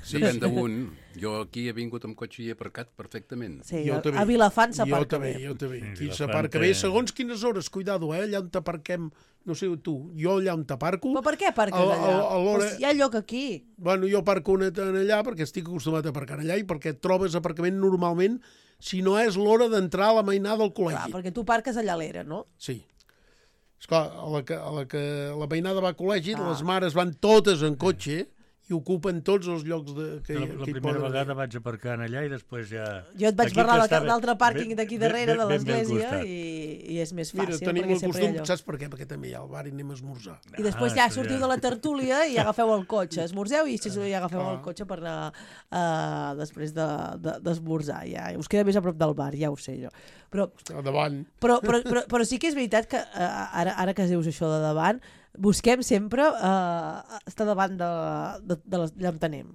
Sí, Depèn d'un. Jo aquí he vingut amb cotxe i he aparcat perfectament. Sí, Jo també. a Vilafant s'aparca bé. Jo també. Sí, Aquí Vilafant s'aparca té- bé, segons quines hores, cuidado, allà on t'aparquem, no sé tu, jo allà on t'aparco... Però per què aparques A- allà? a l'hora- Pues hi ha lloc aquí. Bueno, jo aparco allà perquè estic acostumat a aparcar allà i perquè et trobes aparcament normalment si no és l'hora d'entrar a la mainada del Clar, col·legi. perquè tu parques allà a l'era, no? Sí. Esclar, a la que la mainada va a col·legi, Ah. les mares van totes en cotxe i ocupen tots els llocs que La hi primera poden vegada haver. vaig aparcar en allà i després ja... Jo et vaig Aquí parlar que estava d'altre pàrquing ben- d'aquí ben- darrere de ben bé al l'església costat. i és més Mira, fàcil, tenim perquè el sempre costum, hi ha lloc. saps per què? Perquè també hi ha el bar i anem a esmorzar. I després ja això sortiu ja. de la tertúlia i agafeu el cotxe. Esmorzeu i ja agafeu el cotxe per anar després d'esmorzar. Ja us queda més a prop del bar, ja ho sé jo. Però A davant. Però sí que és veritat que ara que dius això de davant, busquem sempre estar davant d'allà on anem.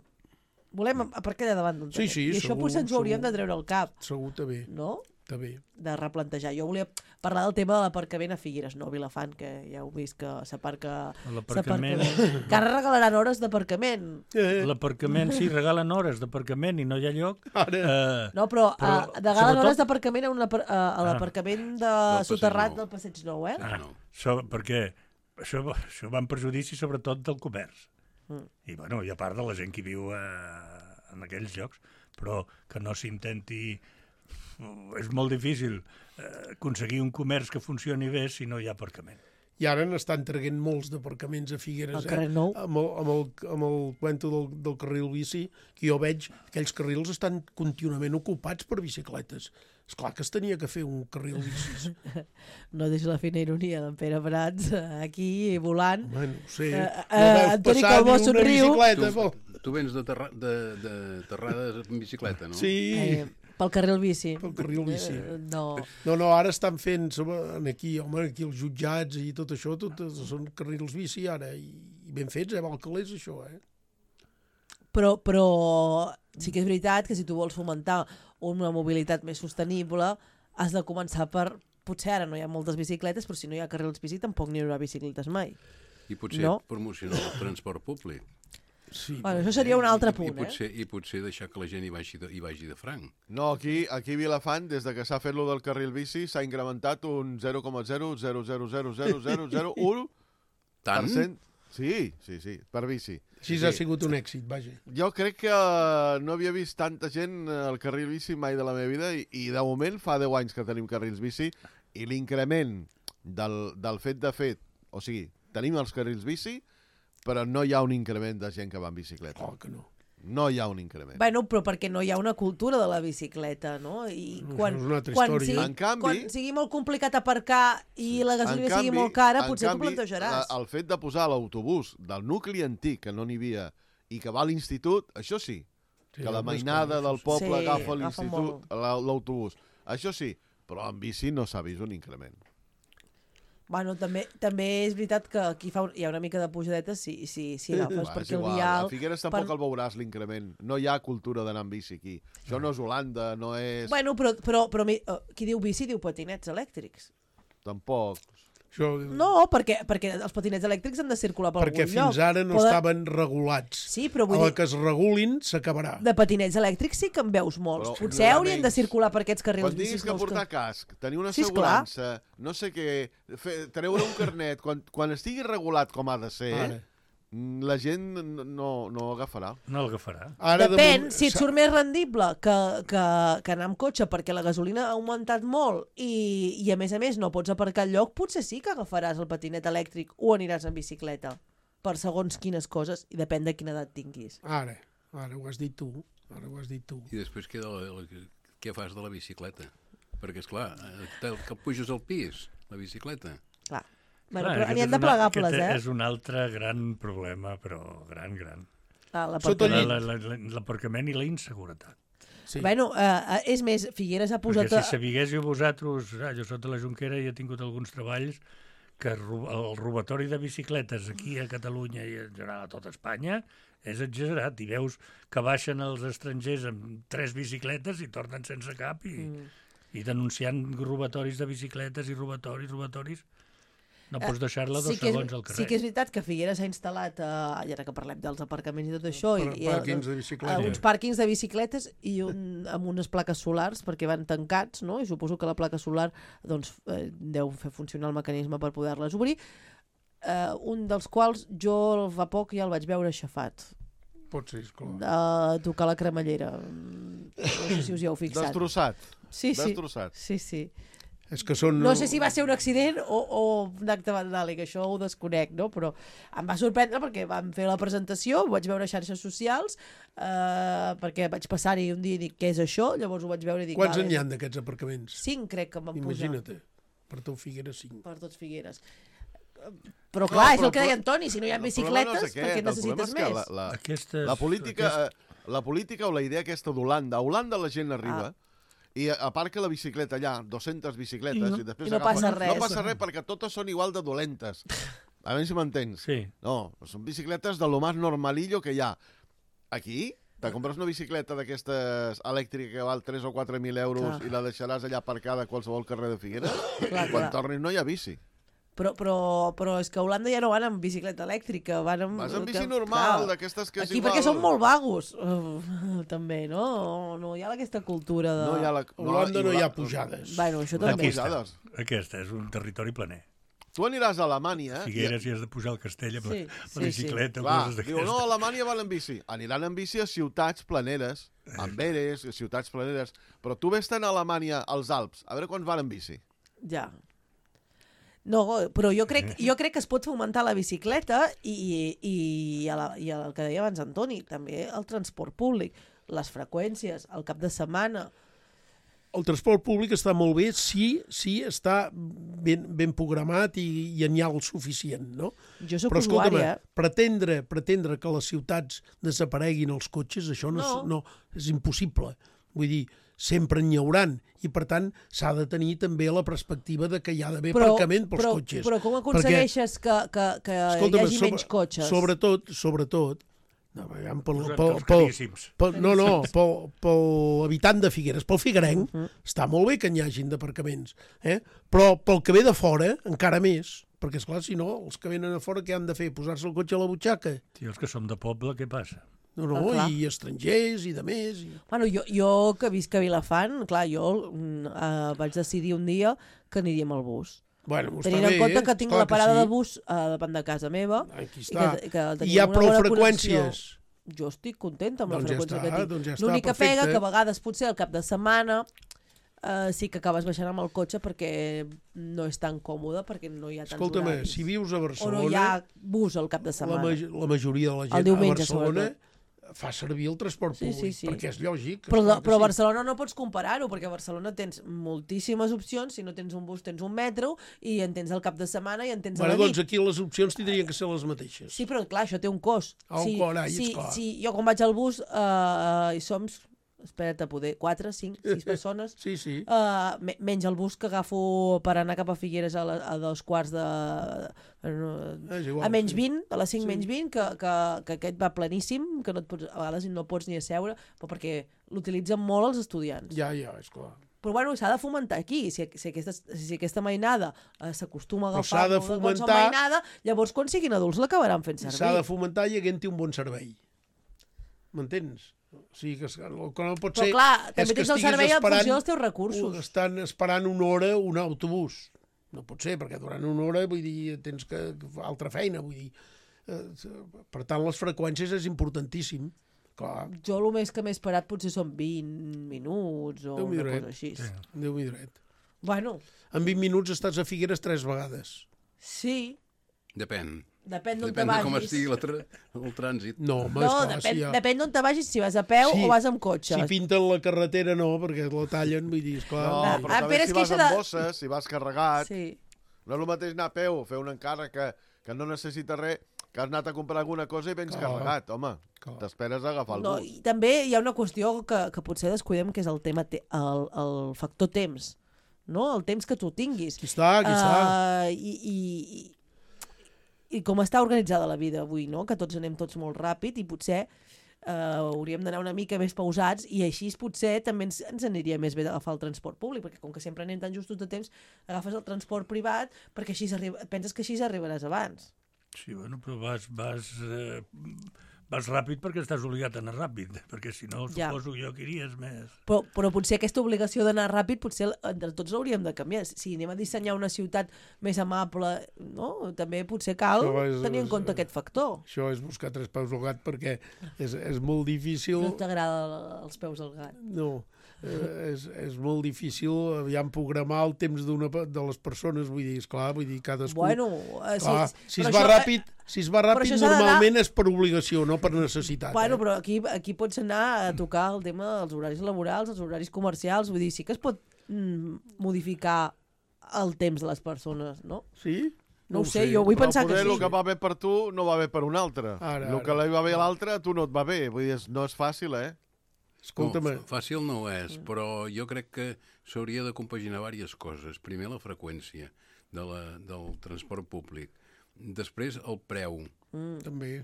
Volem aparcar allà davant d'on Sí, anem. sí, I això segur, potser ens ho hauríem segur. de treure al cap, Segur, també. no? També. De replantejar. Jo volia parlar del tema de l'aparcament a Figueres, no a Vilafant, que ja heu vist que s'aparca L'aparcament- bé. Que ara regalaran hores d'aparcament. L'aparcament, sí, regalen hores d'aparcament i no hi ha lloc. Ara. No, però regalen sobretot- hores d'aparcament a l'aparcament Del soterrat Passeig Nou. del Passeig Nou, eh? Ah, no. Perquè això va en perjudici sobretot del comerç. I, bueno, i a part de la gent que viu en aquells llocs, però que no s'intenti... És molt difícil aconseguir un comerç que funcioni bé si no hi ha aparcament. I ara n'estan traient molts d'aparcaments a Figueres, Al carrer Nou. amb el cuento del carril bici, que jo veig que aquells carrils estan contínuament ocupats per bicicletes. És clar que es tenia que fer un carril bicis. No deixa la fina ironia d'en Pere Prats aquí volant. Bueno, no sé. Antoni Calbó somriu. Tu vens de Terrades en bicicleta, no? Sí, Pel carril bici. pel carril bici. No. No, ara estan fent, aquí els jutjats i tot això, tot són carrils bici ara, i ben fets, val calés això, eh? Però sí que és veritat que si tu vols fomentar una mobilitat més sostenible, has de començar per... Potser ara no hi ha moltes bicicletes, però si no hi ha carrils bici tampoc n'hi haurà bicicletes mai. I potser No. promocionar el transport públic. Sí. Bueno, això seria un altre punt, I potser deixar que la gent hi vagi de franc. No, aquí a Vilafant, des de que s'ha fet lo del carril bici, s'ha incrementat un 0,0000001%. Tant? Sí, per bici. Així ha sigut un èxit, vaja. Jo crec que no havia vist tanta gent al carril bici mai de la meva vida i de moment fa 10 anys que tenim carrils bici i l'increment del fet, o sigui, tenim els carrils bici, però no hi ha un increment de gent que va en bicicleta. Oh, que no. No hi ha un increment. Bueno, però perquè no hi ha una cultura de la bicicleta, no? I quan, és una altra quan, història. sigui, En canvi- quan sigui molt complicat aparcar i la gasolina sigui molt cara, potser t'ho plantejaràs. El fet de posar l'autobús del nucli antic, que no n'hi havia, i que va a l'institut, això sí. Sí, Que la home, mainada esclar, del això poble Sí, agafa agafa l'institut, l'autobús. Això sí, però en bici no s'ha vist un increment. Bueno, també és veritat que aquí hi ha una mica de pujadeta si agafes Va, és perquè el igual. vial... A Figueres tampoc el veuràs, l'increment. No hi ha cultura d'anar amb bici aquí. Això no és Holanda, no és... Bueno, però qui diu bici diu patinets elèctrics. Tampoc. Això, No, perquè els patinets elèctrics han de circular per perquè algun lloc. fins ara no estaven regulats. Sí, però vull A la dir, que es regulin s'acabarà. de patinets elèctrics sí que en veus molts. Però Potser n'hi ha haurien de menys. circular per aquests carrils Quan tinguis bicis que nous portar casc, tenir una Sí, esclar. assegurança, no sé què, treure un carnet, quan estigui regulat com ha de ser, Ara. la gent no agafarà. No l'agafarà. Ara Depèn, moment- si et surt més rendible que anar amb cotxe perquè la gasolina ha augmentat molt i a més no pots aparcar al lloc, potser sí que agafaràs el patinet elèctric o aniràs en bicicleta per segons quines coses i depèn de quina edat tinguis. Ara ho has dit tu. Ara ho has dit tu. I després què fas de la bicicleta? Perquè, esclar, que puges al pis, la bicicleta. Clar. Bueno, Clar, però aquest n'hi ha és de plegables, aquest és un altre gran problema, però gran. Sota el llit. L'aparcament i la inseguretat. Sí. Bueno, és més, Figueres ha posat... Perquè si sabiguéssiu vosaltres, jo soc de la Jonquera i he tingut alguns treballs que el robatori de bicicletes aquí a Catalunya i en general a tot Espanya és exagerat. I veus que baixen els estrangers amb 3 bicicletes i tornen sense cap i denunciant robatoris de bicicletes i robatoris. No pots deixar-la 2 segons al carrer. Sí que és veritat que Figueres s'ha instal·lat, i ara que parlem dels aparcaments i tot això, Pàrquings de bicicletes. uns pàrquings de bicicletes i amb unes plaques solars, perquè van tancats, no? I suposo que la placa solar doncs, deu fer funcionar el mecanisme per poder-les obrir. Un dels quals jo fa poc ja el vaig veure aixafat. Pot ser, esclar. De tocar la cremallera. No sé si us hi heu fixat. Destrossat. Sí. Destrossat. Sí. És que són... No sé si va ser un accident o un acte vandàlic, això ho desconec, no? Però em va sorprendre perquè vam fer la presentació, ho vaig veure a xarxes socials, perquè vaig passar-hi un dia i dic, què és això? Llavors ho vaig veure i dic... Quants n'hi ha d'aquests aparcaments? 5 crec que em van posar. Imagina't, per tot Figueres 5. Per tots Figueres. Però clar, és el que deia Antoni, si no hi ha bicicletes, perquè necessites més? La política o la idea aquesta d'Holanda. A Holanda la gent arriba i aparca la bicicleta allà, 200 bicicletes, i després no passa res. No passa res perquè totes són igual de dolentes. A veure si m'entens. Sí. No, són bicicletes de lo más normalillo que hi ha. Aquí te compres una bicicleta d'aquestes elèctrica que val 3 o 4.000 euros i la deixaràs allà aparcada a qualsevol carrer de Figueres. Quan tornis no hi ha bici. Però és que a Holanda ja no van amb bicicleta elèctrica, van amb... Vas amb bici normal, d'aquestes que és aquí igual... perquè són molt vagos, també, no? No hi ha aquesta cultura de... A Holanda no hi ha pujades. Bueno, això també. Aquesta és un territori planer. Tu aniràs a Alemanya... Figueres i has de pujar al castell amb la bicicleta. Diu, no, a Alemanya van en bici. Aniran en bici a ciutats planeres, Amberes, ciutats planeres, però tu vés-te'n a Alemanya als Alps, a veure quants van en bici. Ja. No, però jo crec que es pot fomentar la bicicleta i el que deia abans Antoni, també el transport públic, les freqüències, el cap de setmana. El transport públic està molt bé si està ben programat i n'hi ha el suficient, no? Jo soc usuària. Pretendre que les ciutats desapareguin els cotxes, això no és impossible. Vull dir, sempre n'hi hauran i, per tant, s'ha de tenir també la perspectiva de que hi ha d'haver aparcament pels cotxes. Però com aconsegueixes que hi hagi menys cotxes? Sobretot, pel habitant de Figueres, pel figuerenc, està molt bé que n'hi hagin d'aparcaments, però pel que ve de fora, encara més, perquè, esclar, si no, els que venen a fora què han de fer? Posar-se el cotxe a la butxaca? Sí, els que som de poble, què passa? No, i estrangers i de més. Bueno, jo que visc a Vilafant, clar, jo vaig decidir un dia que aniríem al bus. Bueno, tenint en compte que tinc la parada de bus davant de casa meva. Aquí està. I hi ha prou freqüències. Jo estic contenta amb la freqüència que tinc. Doncs ja està, l'única pega que a vegades potser al cap de setmana sí que acabes baixant amb el cotxe perquè no és tan còmode, perquè no hi ha tants horaris. Si vius a Barcelona... O no hi ha bus al cap de setmana. La majoria de la gent a Barcelona fa servir el transport públic, perquè és lògic. Però a Barcelona no pots comparar-ho, perquè a Barcelona tens moltíssimes opcions, si no tens un bus tens un metro, i en tens al cap de setmana i en tens a la nit. Doncs aquí les opcions tindrien que ser les mateixes. Sí, però clar, això té un cost. Clar. Jo quan vaig al bus i som... Espera't, a poder 4, 5, 6 persones. Sí. Menys el bus que agafo per anar cap a Figueres a 2:15 a menys 20, a les 5 menys 20, que aquest va planíssim, que no et pots, a vegades no pots ni asseure, però perquè l'utilitzen molt els estudiants. Ja, és clar. Però bueno, s'ha de fomentar aquí. Si aquesta mainada s'acostuma a agafar qualsevol mainada, llavors quan siguin adults l'acabaran fent servir. S'ha de fomentar i havent-hi un bon servei. M'entens? O sigui, que no pot ser... Però clar, també tens el servei en funció dels teus recursos. Estan esperant una hora un autobús. No pot ser, perquè durant una hora, vull dir, tens que altra feina, vull dir. Per tant, les freqüències és importantíssim. Clar. Jo el més que m'he esperat potser són 20 minuts o una cosa així. Déu-m'hi dret. Bueno. En 20 minuts estàs a Figueres 3 vegades. Sí. Depèn d'on te vagis. Depèn de com estigui el trànsit. Depèn d'on te vagis, si vas a peu o vas amb cotxe. Si pinten la carretera no, perquè la tallen, vull dir, esclar. No, però també si vas amb bosses, si vas carregat, no és el mateix anar a peu o fer un encàrrec que no necessita res, que has anat a comprar alguna cosa i vens carregat, home. T'esperes a agafar el bus. I també hi ha una qüestió que potser descuidem, que és el tema, el factor temps. No? El temps que tu tinguis. Aquí està. I com està organitzada la vida avui, no? Que tots anem tots molt ràpid i potser hauríem d'anar una mica més pausats i així potser també ens aniria més bé d'agafar el transport públic, perquè com que sempre anem tan justos de temps, agafes el transport privat perquè així penses que així arribaràs abans. Sí, bueno, però vas ràpid perquè estàs obligat a anar ràpid, perquè si no, suposo jo que iries més. Però potser aquesta obligació d'anar ràpid, potser entre tots l'hauríem de canviar. Si anem a dissenyar una ciutat més amable, no? També potser cal tenir en compte aquest factor. Això és buscar 3 peus al gat, perquè és molt difícil... No t'agrada els peus al gat? No, és molt difícil aviam programar el temps de les persones, vull dir, esclar, cadascú... Bueno, si es va ràpid, normalment és per obligació, no per necessitat. Bueno, però aquí pots anar a tocar el tema dels horaris laborals, els horaris comercials, vull dir, sí que es pot modificar el temps de les persones, no? Sí? No ho sé, jo vull pensar que sí. El que va bé per tu no va bé per un altre. El que li va bé a l'altre, a tu no et va bé. Vull dir, no és fàcil, Escolta'm. Fàcil no és, però jo crec que s'hauria de compaginar diverses coses. Primer, la freqüència del transport públic. Després, el preu. També.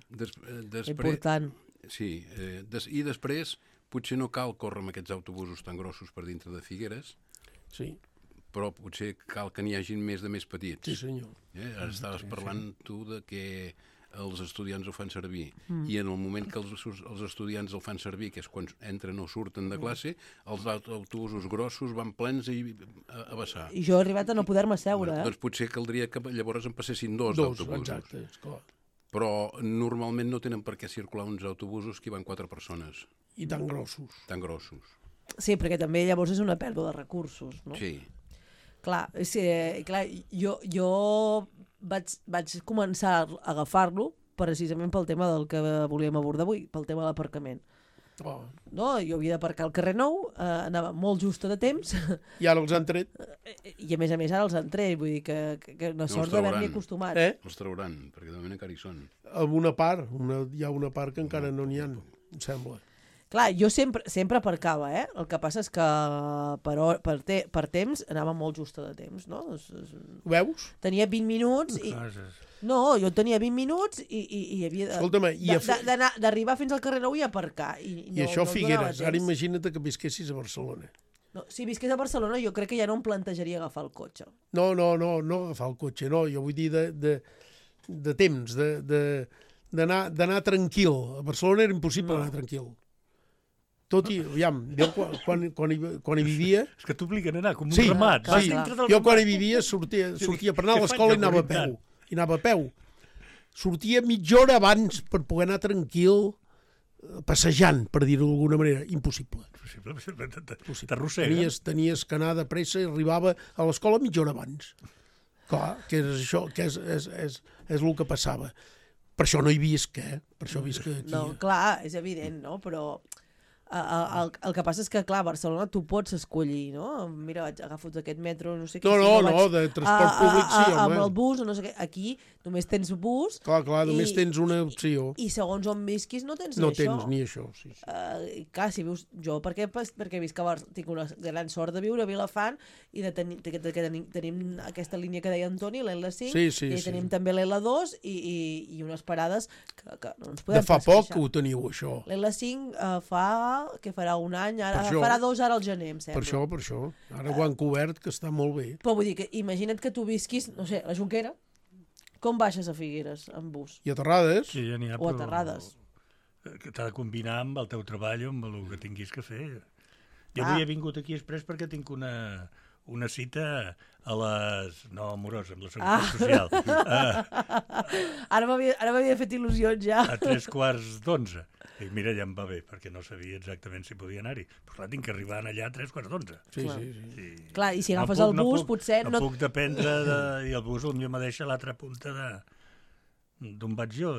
Important. Sí, i després potser no cal córrer amb aquests autobusos tan grossos per dintre de Figueres, sí, però potser cal que n'hi hagin més de més petits. Sí, senyor. Ara estaves parlant tu de que els estudiants ho fan servir, i en el moment que els estudiants el fan servir, que és quan entren o surten de classe, els autobusos grossos van plens a vessar. I jo he arribat a no poder-me seure, Doncs potser caldria que llavors en passessin dos d'autobusos. Exacte, esclar. Però normalment no tenen per què circular uns autobusos que hi van 4 persones. I tan grossos. Tan grossos. Sí, perquè també llavors és una pèrdua de recursos, no? Sí. Clar, jo vaig començar a agafar-lo precisament pel tema del que volíem abordar avui, pel tema de l'aparcament. No? Jo havia d'aparcar al carrer Nou, anava molt justa de temps. I ara els han tret. I a més ara els han tret, vull dir que una sort d'haver-m'hi acostumat. Els trauran, perquè de moment encara hi són. Amb una part, hi ha una part que encara no n'hi ha, em sembla. Clar, jo sempre aparcava, el que passa és que per temps anava molt justa de temps, no? Ho veus? Tenia 20 minuts i... No, jo tenia 20 minuts i havia d'arribar fins al carrer Nou i aparcar. I això Figueres, ara imagina't que visquessis a Barcelona. No, si visqués a Barcelona jo crec que ja no em plantejaria agafar el cotxe. No agafar el cotxe, no, jo vull dir de temps, d'anar tranquil. A Barcelona era impossible anar tranquil. Tot i, aviam, quan hi vivia... És que t'obliguen a anar com un ramat. Sí, jo quan hi vivia sortia per anar a l'escola i anava a peu. Sortia mitja hora abans per poder anar tranquil, passejant, per dir-ho d'alguna manera. Impossible. T'arrossega. Tenies que anar de pressa i arribava a l'escola mitja hora abans. Clar, que és això, que és el que passava. Per això no hi visc, Per això visc aquí. No, clar, és evident, no? Però... El que passa és que, clar, a Barcelona tu pots escollir, no? Mira, agafo aquest metro, no sé què... No, de transport públic sí, home. Amb el bus o no sé què. Aquí només tens bus... Clar, només tens una opció. I segons on visquis no tens ni això. No tens ni això, sí. Clar, si vius... Jo, perquè visc a Barcelona, tinc una gran sort de viure a Vilafant i tenim aquesta línia que deia Antoni, l'L5, i tenim també l'L2 i unes parades que no ens podem de fa poc que ho teniu, això. L'L5 que farà un any, farà 2 ara al gener, em sembla. Per això. Ara ho han cobert, que està molt bé. Però vull dir que imagina't que tu visquis, no sé, a la Jonquera, com baixes a Figueres amb bus? I a Terrades? Sí, ja n'hi ha, o a Terrades. Que t'ha de combinar amb el teu treball o amb el que tinguis que fer. Jo avui he vingut aquí express perquè tinc una cita a les... No, amorosa, amb la Seguretat Social. Ara m'havia fet il·lusions ja. A 3:45. I mira, ja em va bé, perquè no sabia exactament si podia anar-hi. Però clar, tinc que arribar allà a 3:45. Sí. Clar, i si agafes el bus, potser... No puc dependre i el bus potser me deixa a l'altra punta d'on vaig jo.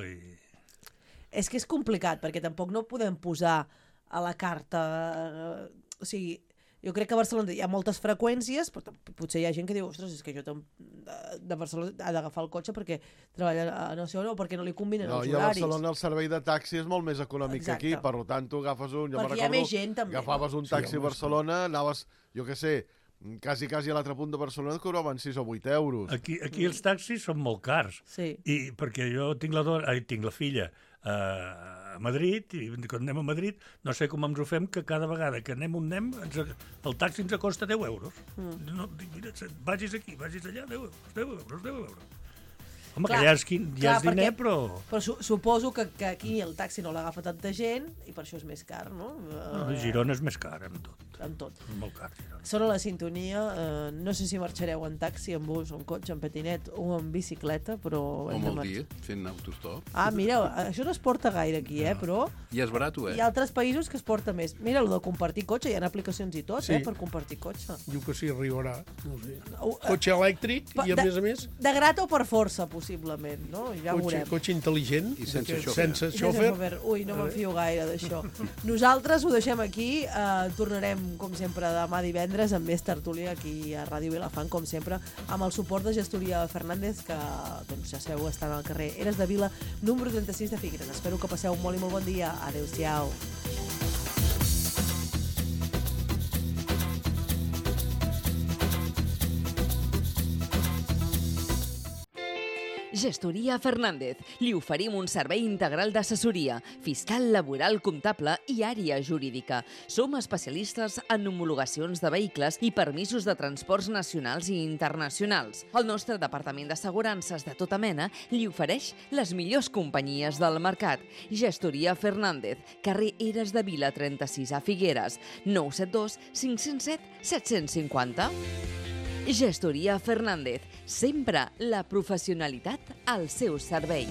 És que és complicat, perquè tampoc no podem posar a la carta... O sigui, jo crec que a Barcelona hi ha moltes freqüències, però potser hi ha gent que diu, ostres, és que jo de Barcelona ha d'agafar el cotxe perquè treballa a no sé on, o perquè no li combinen els horaris. I a Barcelona el servei de taxi és molt més econòmic que aquí, per tant tu agafes un... Perquè hi ha més gent també. Agafaves un taxi a Barcelona, anaves, jo què sé, Quasi a l'altre punt de Barcelona et cobraven 6 o 8 euros. Aquí els taxis són molt cars. Sí. I perquè jo tinc la filla a Madrid, i quan anem a Madrid no sé com ens ho fem, que cada vegada que anem on anem, el taxi ens costa 10 euros. No, mira, vagis aquí, vagis allà, 10 euros. Home, Clar, que ja és diner, però... Però suposo que aquí el taxi no l'agafa tanta gent i per això és més car, no? Girona és més car, amb tot. Amb tot. És molt car, Girona. Sona la sintonia. No sé si marxareu en taxi, en bus, en cotxe, en patinet o en bicicleta, però... O amb el dia, fent autostop. Ah, mireu, això no es porta gaire aquí, però... I és barat, Hi ha altres països que es porta més. Mira, el de compartir cotxe, hi ha aplicacions i tot, Sí. per compartir cotxe. Diu que sí, arribarà. No sé. Cotxe elèctric i, a més... De grat o per força, possiblement, no? Ja ho veurem. Cotxe intel·ligent. I sense xòfer. Sense xòfer. Ui, no me'n fio gaire d'això. Nosaltres ho deixem aquí. Tornarem, com sempre, demà divendres amb més tertúlia aquí a Ràdio Vilafant, com sempre, amb el suport de Gestoria Fernández, que, doncs, ja sabeu, estan al carrer Eres de Vila, número 36 de Figueres. Espero que passeu un molt i molt bon dia. Adéu-siau. Gestoria Fernández. Li oferim un servei integral d'assessoria, fiscal, laboral, comptable i àrea jurídica. Som especialistes en homologacions de vehicles i permisos de transports nacionals i internacionals. El nostre departament d'assegurances de tota mena li ofereix les millors companyies del mercat. Gestoria Fernández, carrer Eres de Vila 36 a Figueres, 972 507 750. Gestoria Fernández, sempre la professionalitat al seu servei.